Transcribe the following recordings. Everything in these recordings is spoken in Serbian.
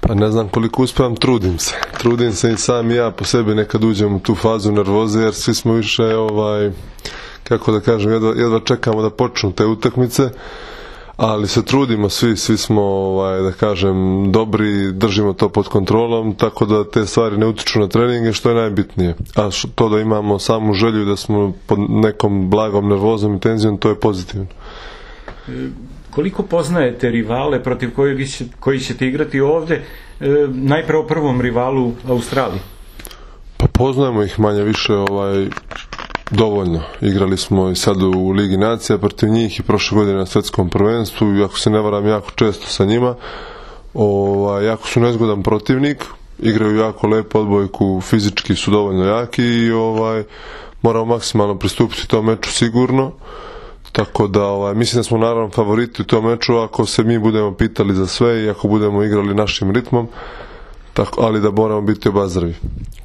Pa ne znam koliko uspevam, trudim se. Trudim se i sam ja po sebi nekad uđem u tu fazu nervoze, jer svi smo više, kako da kažem, jedva čekamo da počnu te utakmice, ali se trudimo, svi smo, da kažem, dobri, držimo to pod kontrolom, tako da te stvari ne utiču na treninge, što je najbitnije. A to da imamo samu želju da smo pod nekom blagom nervozom i tenzijom, to je pozitivno. Koliko poznajete rivale protiv koji ćete igrati ovde, najprve o prvom rivalu Australiji? Pa poznajemo ih manje više dovoljno. Igrali smo i sad u Ligi nacija protiv njih i prošle godine na svetskom prvenstvu, i ako se ne varam jako često sa njima. Jako su nezgodan protivnik, igraju jako lepo odbojku, fizički su dovoljno jaki i moramo maksimalno pristupiti tom meču sigurno. Tako da mislim da smo naravno favoriti u tom meču ako se mi budemo pitali za sve i ako budemo igrali našim ritmom, ali da moramo biti obazrivi.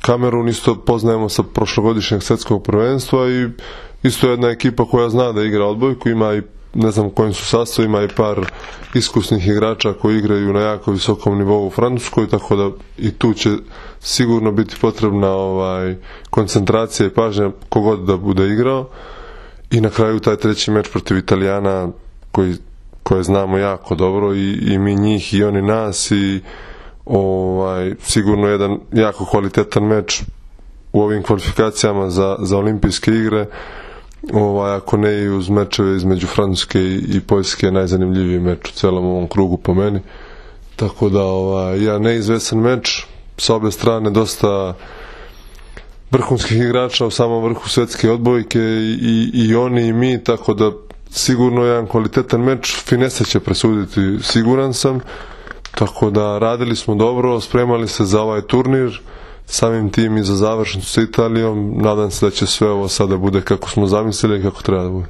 Kamerun isto poznajemo sa prošlogodišnjeg svetskog prvenstva i isto jedna ekipa koja zna da igra odbojku, ima i ne znam u kojim su sastavima i par iskusnih igrača koji igraju na jako visokom nivou u Francuskoj, tako da i tu će sigurno biti potrebna koncentracija i pažnja kogod da bude igrao. I na kraju taj treći meč protiv Italijana koje znamo jako dobro, i mi njih i oni nas, i sigurno jedan jako kvalitetan meč u ovim kvalifikacijama za olimpijske igre, ako ne i uz mečeve između Francuske i Poljske, najzanimljiviji meč u celom ovom krugu po meni. Tako da neizvesan meč, sa obe strane dosta vrhunskih igrača u samom vrhu svetske odbojke, i oni i mi, tako da sigurno jedan kvalitetan meč, finese će presuditi, siguran sam. Tako da radili smo dobro, spremali se za ovaj turnir, samim tim i za završnicu sa Italijom. Nadam se da će sve ovo sada bude kako smo zamislili i kako treba da bude.